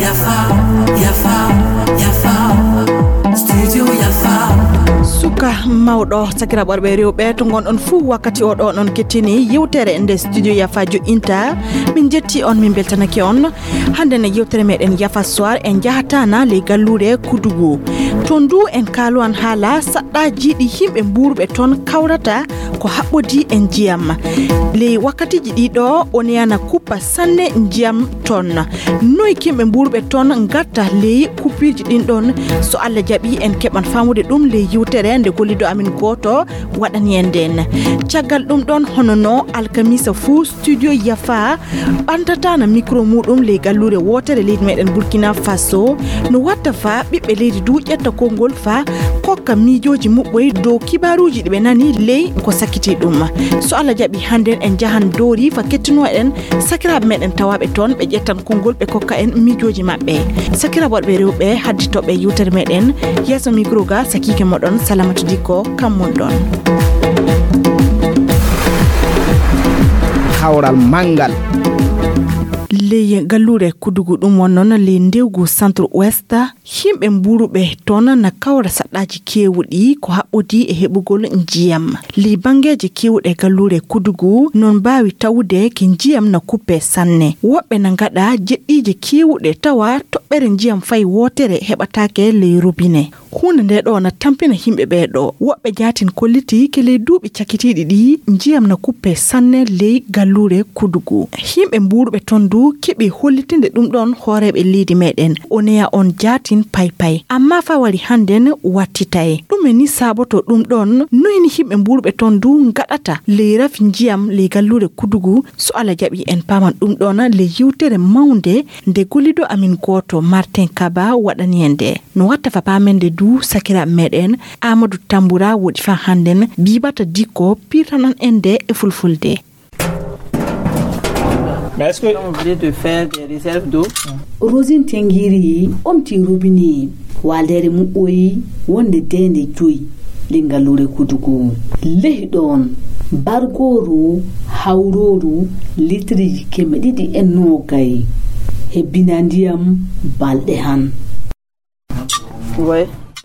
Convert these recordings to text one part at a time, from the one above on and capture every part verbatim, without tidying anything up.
Yafa, yafa, yafa. Studio yafa. Suka mawɗo, sakiraaɓe worɓe e rewɓe, to ngonɗon fuu wakkati o ɗo, non kettini yewtere nde Studio Yafa jo'inta. Min njetti on, min mbeltanake on. Hannde ne yewtere meɗen Yafa Soir en njahataana ley galluure Kudugu. To ndu en kaalowan haala saɗɗaaji ɗi yimɓe mbuuruɓe toon kawrata ko haɓɓodii e njiyam. Ley wakkatiiji ɗii ɗo, Oneya na kuppa sanne njiyam toon. Noy yimɓe mbuuruɓe toon ngatta ley kuppiiji ɗin ɗon? So Allah jaɓi, en keɓan faamude ɗum ley yewtere nde golliiɗo amin gooto waɗani en nden. Caggal ɗum ɗon, hono no alkamisa fuu, Studio Yafa ɓantataana mikro muuɗum ley galluure wootere leydi meɗen Burkina Faso. No watta fa ɓiɓɓe leydi du ƴetta konngol fa kokka miijooji muɓɓoy dow kibaaruuji ɗi ɓe nani ley ko sakkiti ɗum. So Allah jaɓi, hannden en njahan Doori fa kettinoo en sakiraaɓe meɗen tawaaɓe toon, ɓe ƴettan konngol, ɓe kokka en miijooji maɓɓe. Sakiraaɓe worɓe e rewɓe, hadditooɓe yewtere meɗen, yeeso mikro ga sakiike moɗon Salamatu Dikko, kam mon ɗon. Kawral manngal. Ley galluure Kudugu ɗum won noon ley ndewgu Centre Ouest, yimɓe mbuuruɓe toon na kawra saɗɗaaji keewuɗi ko haɓɓodii e heɓugol njiyam. Ley banngeeji keewuɗi e galluure Kudugu, noon mbaawi tawude ki njiyam na kuppe sanne. Woɓɓe na ngaɗa jeɗɗiije keewuɗe tawa toɓɓere njiyam fay wootere heɓataake ley robine. Huunde nde ɗo na tampina yimɓe ɓee ɗo. Woɓɓe jaatin kolliti ke ley duuɓi cakitiiɗi ɗi, njiyam na kuppe sanne ley galluure Kudugu. Yimɓe mbuuruɓe toon du keɓi hollitinde ɗum ɗon hooreeɓe leydi meɗen. Oneya on jaatin paypay. Amma fa wari hannden wattitay. Ɗume ni saaboto ɗum ɗon? Noy ni yimɓe mbuuruɓe toon du ngaɗata ley rafi njiyam ley galluure Kudugu? So Allah jaɓi, en paaman ɗum ɗon ley yewtere mawnde nde golliiɗo amin gooto Martin Kaba waɗani en nde. No watta fa paamen nde du sakiraaɓe meɗen Amadou Tamboura woɗi fa hannden, Bibata Dikko pirtanan en nde e fulfulde. Mais est-ce que on voulait de faire des réserves d'eau? Rosine Tengiri omti robinet waaldeere muɓɓoy wonde deende joyi ley galluure Kudugu. Ley ɗon, bargooru hawrooru litirji keme ɗiɗi e noogay hebbina ndiyam balɗe han.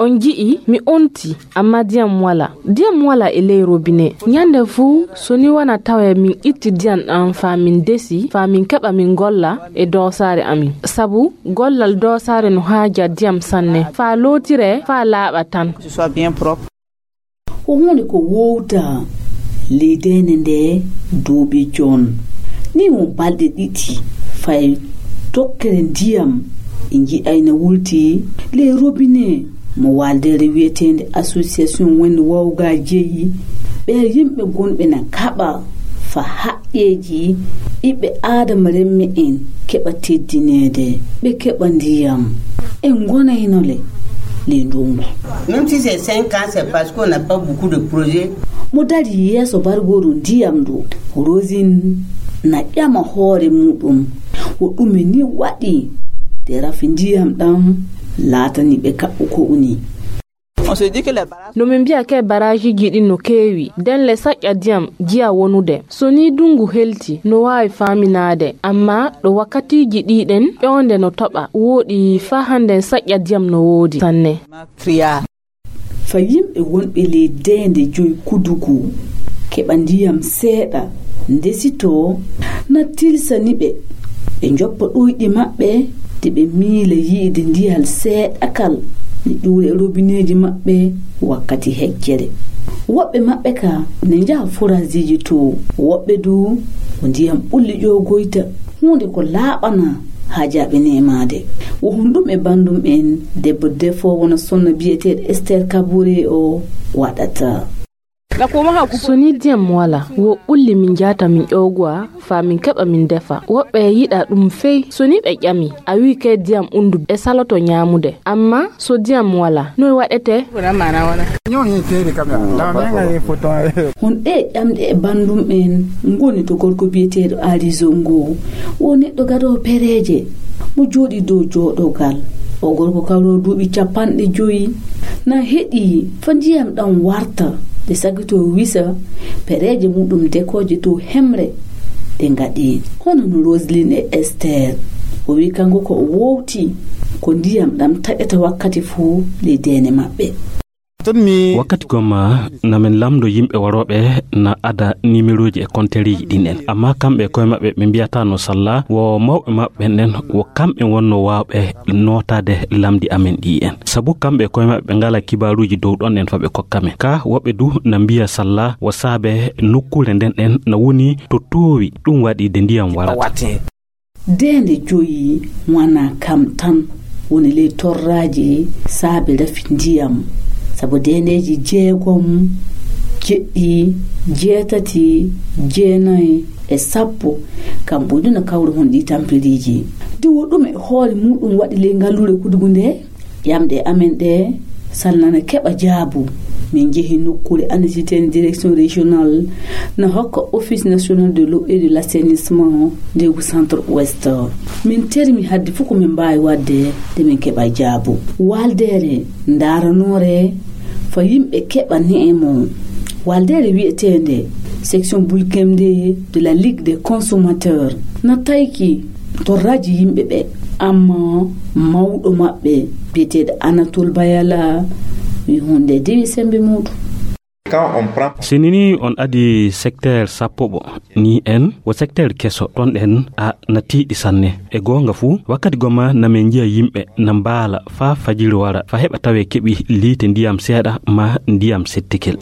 On nji'i mi onti, amma diyam wala. Diyam wala e ley robine. Ñande fuu, so ni wona tawe min itti diyam ɗam faa min desi, faa min keɓa min golla e doosaare amin. Sabu gollal doosaare no haaja diyam sanne, faa lootire, faa laaɓa tan. Ce soit bien propre. Ko huunde ko wowta ley deende nde duuɓi joon. Ni mo balɗe ɗiɗi fay tokkere ndiyam e nji'ayna wulti ley robinet mo waaldeere wiyeteende Association Wende Wawga jeyi. Ɓe yimɓe gonɓe na kaɓa fa haqqeeji ɓiɓɓe aadama remme en keɓa teddineede, ɓe keɓa ndiyam. En ngonaynole ley ndungu. Même si c'est cinq ans, c'est parce qu'on n'a pas beaucoup de projets. Mo dari yeeso bargooru ndiyam ndu, Rosine na ƴama hoore muɗum. Wo ɗume ni waɗi de rafi ndiyam ɗam laatani ɓe kaɓɓu ko uni. On se dit que les barrages. No min mbiya ke barajiiji ɗin no keewi, denle saƴƴa diyam jiya wonude. So ni dungu helti, no waawi faaminaade, amma ɗo wakkatiiji ɗi ɗen, ƴoonde no toɓa, wooɗi faa hannden saƴƴa diyam no woodi sanne. Fa yimɓe wonɓe ley deende joyi Kudugu keɓa ndiyam seeɗa, ndesitoo, na tilsani ɓe ɓe njoppa ɗoyɗi maɓɓe, de ɓe miila yi'ude ndiyam seeɗakal ne ƴuura e robineeji maɓɓe wakkati heccere. Woɓɓe maɓɓe ka ne njaha foraasiiji to, woɓɓe du ko ndiyam ɓulli ƴoogoyta, huunde ko laaɓana haajaaɓe neemaade. Wo honɗum e banndum en debbo defoowo wona sonna biyeteeɗo Esther Kabore o waɗata? So ni diyam wala, wo ɓulli min njahata min ƴoogowa, faa min keɓa min defa. Woɓɓe yiɗa ɗum fey. So ni ɓe ƴami, a wi'i kay diyam undu e saloto ñaamude. Amma so diyam wala, noy waɗete? Hon ɗee ƴamɗe e banndum en ngoni to gorko biyeteeɗo Aali Zongo. Wo neɗɗo gadoowo pereeje, mo jooɗii dow jooɗogal. O gorko kawroowo duuɓi capanɗe joyi, na heɗii fa ndiyam ɗam warta, de sagitoo wisa pereeje muɗum dekooje dow hemre. ɗe ngaɗi. Hono no Roseline e Esther, o wi kanko ko o wowti ko ndiyam ɗam taƴata wakkati fuu ley deene maɓɓe. Wakkati gomma na min lamndo yimɓe warooɓe na ada nimerooji e kontereeji ɗin en, amma kamɓe e koye maɓɓe ɓe mbiyata no salla wo mawɓe maɓɓe ɓen ɗen, wo kamɓe wonno waawɓe nootaade lamndi amen ɗi en, sabu kamɓe e koye maɓɓe ɓe ngala kibaaruuji dow ɗon en fa ɓe kokka men. Ka woɓɓe du na mbiya salla wo saabe nokkuure nden ɗen na woni to toowi, ɗum waɗi de ndiyam warata. Deende joyi wana kam tan woni ley torraaji saabe rafi ndiyam, sabu deendeeji jeegom, jeɗɗi, jeetati, jeenayi e sappo, kam ɓuri no kawri hon ɗi tampiriiji. Diwo ɗum e hoore muɗum waɗi ley ngalluure Kudugu nde? Ƴamɗe amen ɗe salnana keɓa jaabu. Min njehi nokkuure anndititeende direction régionale na hokka Office national de l'eau et de l'assainissement ndegu centre ouest. Min termi hadde fof ko min mbaawi waɗde nde min keɓa jaabu. Waaldeere ndaaranoore fa yimɓe keɓa neemo. Waaldeere wiyeteende section Bulkemde de la Ligue des consommateurs na tayki torraaji yimɓe ɓe, amma mawɗo maɓɓe biyeteeɗo Anatol Bayala wi hunde dewi sembe muɗum. Si nini on adi secteur sappo ɓo ni en wo secteur keso, ɗon ɗen a na tiiɗi sanne. E goonga fuu, wakkati goma na min njiya yimɓe na mbaala faa fajiri wara, fa heɓa tawe keɓi liite ndiyam seeɗa ma ndiyam settikel.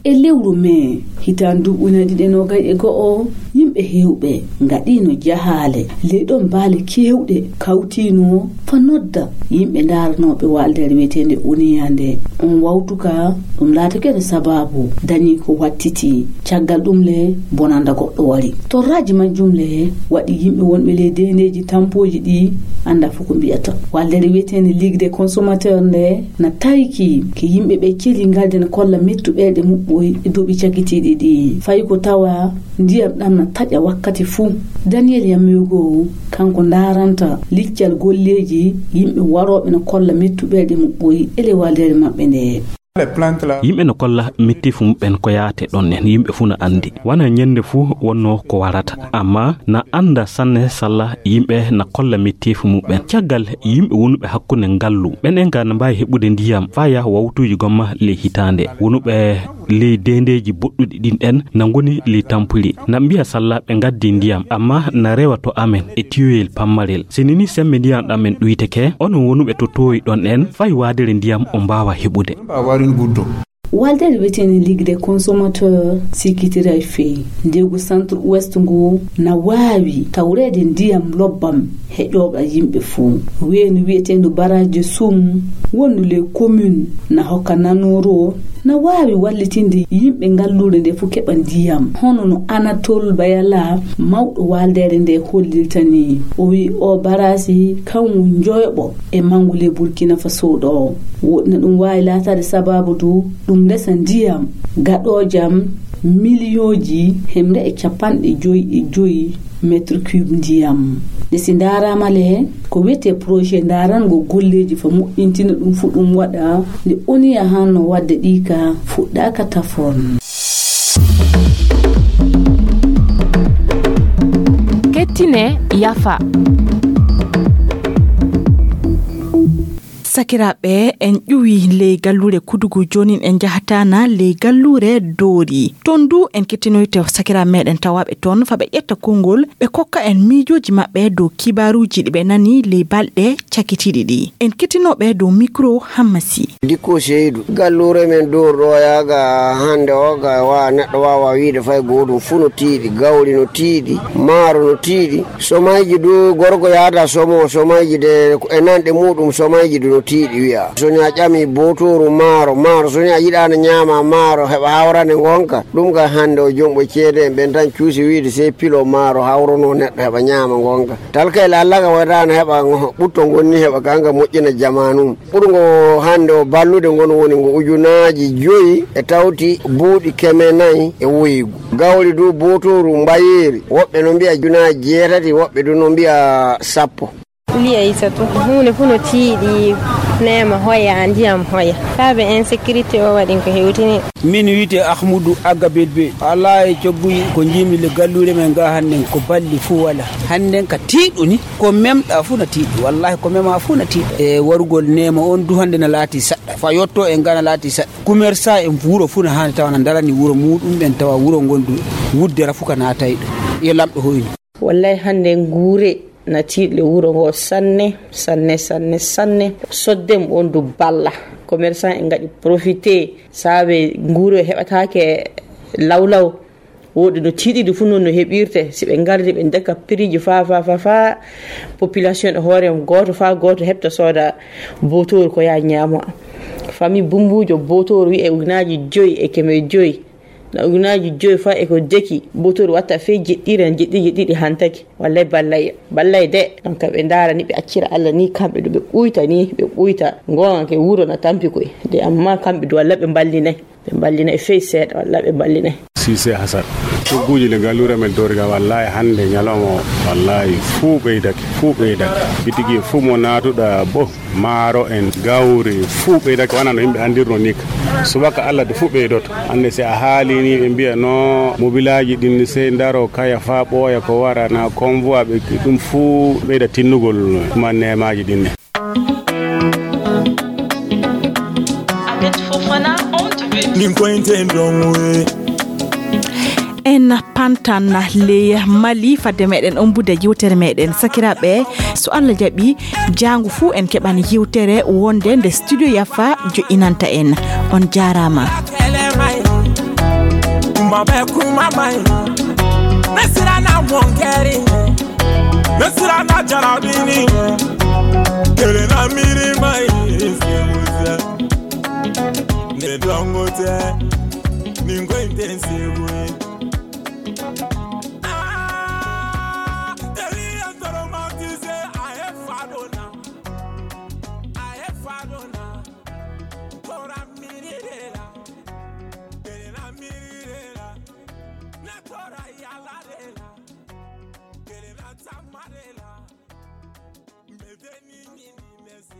E lewru mee hitaande nduuɓu ujunere ɗiɗi e noogay e go'o, yimɓe heewɓe ngaɗiino jahaale ley ɗon baale keewɗe kawtiino fa nodda yimɓe ndaaranooɓe waaldeere wiyeteende Oniya nde. On wawtuka ɗum laatake no sabaabu dañi ko wattiti. Caggal ɗum le bonanda goɗɗo wari. Torraaji majjum le waɗi yimɓe wonɓe ley deendeeji tampooji ɗi annda fof ko mbiyata. Waaldeere wiyeteende Ligue des consommateurs nde na tayki ke yimɓe ɓe celi ngalde na kolla mettu ɓerɗe muɓɓoy e duuɓi cakitiiɗi ɗi. Fayi ko tawa ndiyam ɗam na taƴa wakkati fuu. Daniel Yamego kanko ndaaranta liccal golleeji yimɓe warooɓe na kolla mettu ɓerɗe muɓɓoy e ley waaldeere maɓɓe nde. Yimɓe no kolla metteefu muɓɓen ko yaate ɗon en, yimɓe fuu no anndi. Wona ñannde fuu wonno ko warata, amma na annda sanne salla yimɓe na kolla metteefu muɓɓen. Caggal yimɓe wonuɓe hakkunde ngallu, ɓen en ka na mbaawi heɓude ndiyam faa yaha wawtuuji gomma ley hitaande. Wonuɓe ley deendeeji boɗɗuɗi ɗin ɗen na ngoni ley tampiri. Na mbiya salla ɓe ngaddi ndiyam, amma na rewa to amen e tiyoyel pammarel. Si nini sembe ndiyam ɗam en ɗuyteke, onon wonuɓe to toowi ɗon en, fay waadere ndiyam on mbaawa heɓude. Waldere wiyeteende Ligue des consommateurs sikkitiray fey ndegu centre ouest ngu na waawi tawreede ndiyam lobbam heƴooɓe yimɓe fuu. Weendu wiyeteendu barrage de Soum wondu ley commune na hokka Nanoro na waawi wallitinde yimɓe ngalluure nde fuu keɓa ndiyam. Hono no Anatole Bayala, mawɗo waaldeere nde, hollirta ni. O wi'i o barrage kanwu njoyoɓo e manngu ley Burkina Faso ɗo. Woɗɗi na ɗum waawi laataade sabaabu du ɗum resa ndiyam gaɗoojam miliyooji hemre e capanɗe joyi e joyi mètre cube ndiyam. Nde si ndaaraama le, ko wiyetee projet ndaarango golleeji fa moƴƴintina ɗum fuu ɗum waɗa nde Oniya hanno waɗde ɗi ka fuɗɗaaka tafon. Kettine yafa. Sakiraaɓe, en ƴuwi ley galluure Kudugu, joonin en njahata na ley galluure Doori. Toon du en kettinoyte sakiraaɓe meɗen tawaaɓe toon, fa ɓe ƴetta konngol, ɓe kokka en miijooji maɓɓe dow kibaaruuji ɗi ɓe nani ley balɗe cakitiiɗi ɗi. En kettinooɓe dow mikro Hammasi. Dikko Seydu, galluure men Doori ɗo yaaga hannde o ga wa neɗɗo waawa wiide fay gootum, fuu no tiiɗi, gawri no tiiɗi, maaro no tiiɗi. Somayji du, gorko yaada somo, somayji de e nanɗe muɗum, somayji du no tiiɗi wi'a. So ni a ƴami bootooru maaro, maaro, so ni a yiɗaano ñaama maaro, heɓa hawrande ngonka, ɗum ka hannde o jomɓo ceede en ɓen tan cuusi wiide sey pilo maaro hawrono neɗɗo heɓa ñaama ngonka. Talkayel Allah ka wayraano heɓa ngo-, ɓutto ngonni heɓa ka nga moƴƴina jamaanum. Ɓurgo hannde o ballude ngon woni ngo ujunaaji joyi e tawti buuɗi keme nayi e woygu. Gawri du bootooru mbayeeri, woɓɓe no mbi'a ujunaaji jeetati, woɓɓe du no mbi'a sappo. Liya Aysatu, huunde fuu no tiiɗi, Neema hoya, ndiyam hoya. Saabe insécurité o waɗi ko hewtini. Min wiyte Ahmudu Agga Belbe. Alaa e cogguji ko njiimi le galluure men ga hannden ko balli fuu wala. Hannden ka tiiɗu ni, ko memɗa fuu na tiiɗi. Wallahi ko mema fuu na tiiɗi. E warugol neema on du hannde na laati saɗɗa. Fa yotto en ga na laati saɗɗa. Commerçant en wuro fuu na haani tawa na darani wuro muɗum ɓen tawa wuro ngon du wuddera fuu ka naatay ɗum. Yo lamɗo hoynu. Wallay hannde nguure na tiiɗle wuro ngo sanne, sanne, sanne, sanne. Soddem on du balla. Commerçant en ngaɗi profité saabe nguure heɓataake lawlaw. Woɗi no tiiɗiɗi fuu noon no heɓirte. Si ɓe ngardi ɓe ndeka prix ji fa, fa, fa, fa. Population e hoore mum gooto fa gooto heɓta sooda botooru ko yaa ñaamo. Famille bumbuujo botooru wi'e ujunaaji joyi e keme joyi. Na ujunaaji joyi fa e ko deki, botooru watta fey jeɗɗire, jeɗɗi, jeɗɗiɗi hantaki. Wallay ballay, ballay de. Donc ɓe ndaara ni, ɓe accira Allah ni, kamɓe ɗo ɓe ɓuyta ni, ɓe ɓuyta. Ngoonga ke wuro na tampi koy. De amma kamɓe du walla ɓe mballinay. Ɓe mballinay fey seeɗa, walla ɓe mballinay. Sise Hasan. Cogguuji le galluure men Doriga, wallahi hannde ñalawma o, wallahi fuu ɓeydake, fuu ɓeydake. Bitigi fuu mo naatuɗa bo. Maaro en, gawri, fuu ɓeydake, wona no yimɓe anndirno ni ka. Subaka Allah de fuu ɓeydoto. Hannde si a haali ni ɓe mbiya no mobilaaji ɗin ni sey ndaro kaya faa ɓooya ko wara na convoi ɓe ɗum fuu ɓeyda tinnugol ma neemaaji ɗin ni. Ahmed Fofana on the beat. Nin ko enten don we. En pantan ley Mali fadde meɗen ombude yewtere meɗen. Sakiraaɓe, so Allah jaɓi, jaango fuu en keɓan yewtere wonde nde studio Yafa jo'inanta en. On jaaraama. Kuma bɛ kuma man ɲi. Ne siranna mun kɛri. Ne siranna jarabini. Kelen na miiri man ɲi. Ne dɔnko tɛ. Nin ko in tɛ n seko ye. Ah, Eli ye tɔɔrɔma tɛ se, a ye fa dɔ na. A ye fa dɔ na. Tora miiri de la. Kelen na miiri de la. Ne tora yaala de la. Kelen na taama de la. N bɛ dennin ɲini, n bɛ se.